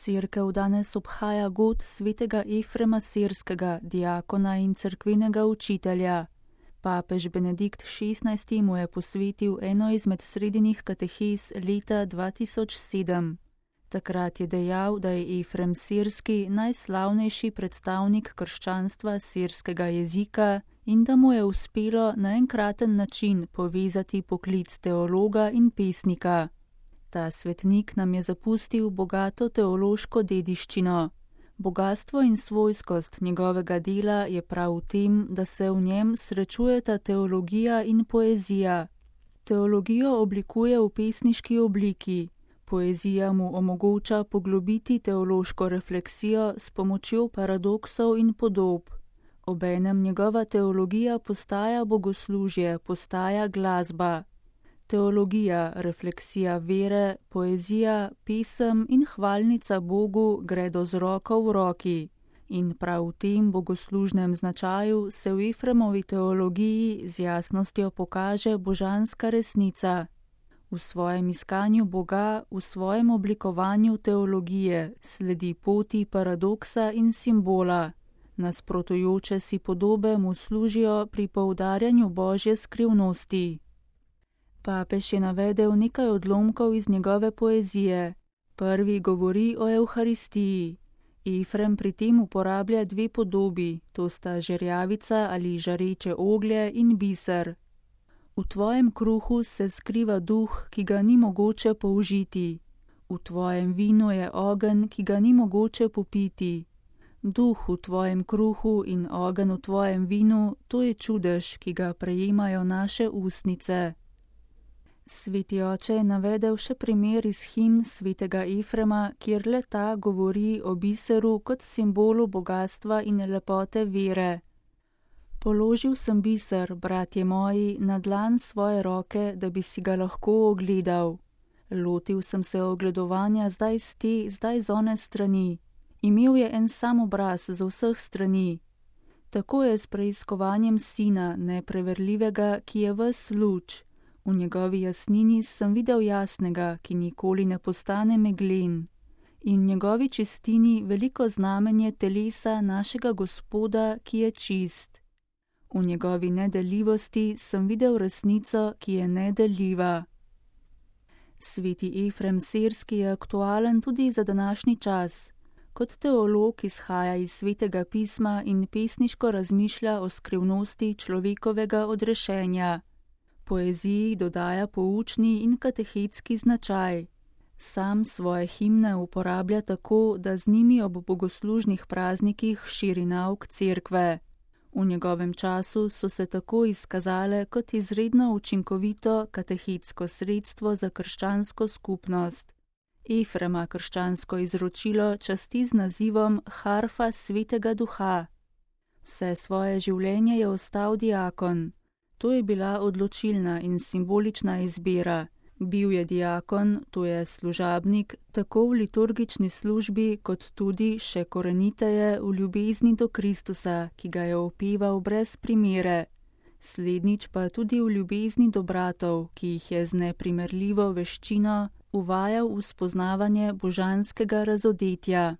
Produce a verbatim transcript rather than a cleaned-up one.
Cerkev danes obhaja god svetega Efrema Sirskega, diakona in cerkvenega učitelja. Papež Benedikt šestnajsti mu je posvetil eno izmed sredinih katehes leta dva tisoč sedem. Takrat je dejal, da je Efrem Sirski najslavnejši predstavnik krščanstva sirskega jezika in da mu je uspelo na enkraten način povezati poklic teologa in pesnika. Ta svetnik nam je zapustil bogato teološko dediščino. Bogastvo in svojskost njegovega dela je prav v tem, da se v njem srečujeta teologija in poezija. Teologijo oblikuje v pesniški obliki. Poezija mu omogoča poglobiti teološko refleksijo s pomočjo paradoksov in podob. Obenem njegova teologija postaja bogoslužje, postaja glasba. Teologija, refleksija vere, poezija, pesem in hvalnica Bogu gredo z roko v roki. In prav v tem bogoslužnem značaju se v Efremovi teologiji z jasnostjo pokaže božanska resnica. V svojem iskanju Boga, v svojem oblikovanju teologije sledi poti paradoksa in simbola. Nasprotujoče si podobe mu služijo pri poudarjanju Božje skrivnosti. Papež je navedel nekaj odlomkov iz njegove poezije. Prvi govori o Evharistiji. Efrem pri tem uporablja dve podobi, to sta žerjavica ali žareče oglje in biser. V tvojem kruhu se skriva duh, ki ga ni mogoče použiti. V tvojem vinu je ogenj, ki ga ni mogoče popiti. Duh v tvojem kruhu in ogenj v tvojem vinu, to je čudež, ki ga prejemajo naše ustnice. Sveti oče je navedel še primer iz himn svetega Efrema, kjer le ta govori o biseru kot simbolu bogatstva in lepote vere. Položil sem biser, bratje moji, na dlan svoje roke, da bi si ga lahko ogledal. Lotil sem se ogledovanja zdaj z te, zdaj z one strani. Imel je en sam obraz z vseh strani. Tako je s preiskovanjem sina, nepreverljivega, ki je ves luč. V njegovi jasnini sem videl jasnega, ki nikoli ne postane meglen. In v njegovi čistini veliko znamenje telesa našega Gospoda, ki je čist. V njegovi nedeljivosti sem videl resnico, ki je nedeljiva. Sveti Efrem Sirski je aktualen tudi za današnji čas. Kot teolog izhaja iz svetega pisma in pesniško razmišlja o skrivnosti človekovega odrešenja. Poeziji dodaja poučni in katehetski značaj. Sam svoje himne uporablja tako, da z njimi ob bogoslužnih praznikih širi nauk cerkve. V njegovem času so se tako izkazale kot izredno učinkovito katehetsko sredstvo za krščansko skupnost. Efrema krščansko izročilo časti z nazivom Harfa svetega duha. Vse svoje življenje je ostal diakon. To je bila odločilna in simbolična izbira. Bil je diakon, to je služabnik, tako v liturgični službi, kot tudi še koreniteje v ljubezni do Kristusa, ki ga je opeval brez primere. Slednjič pa tudi v ljubezni do bratov, ki jih je z neprimerljivo veščino uvajal v spoznavanje božanskega razodetja.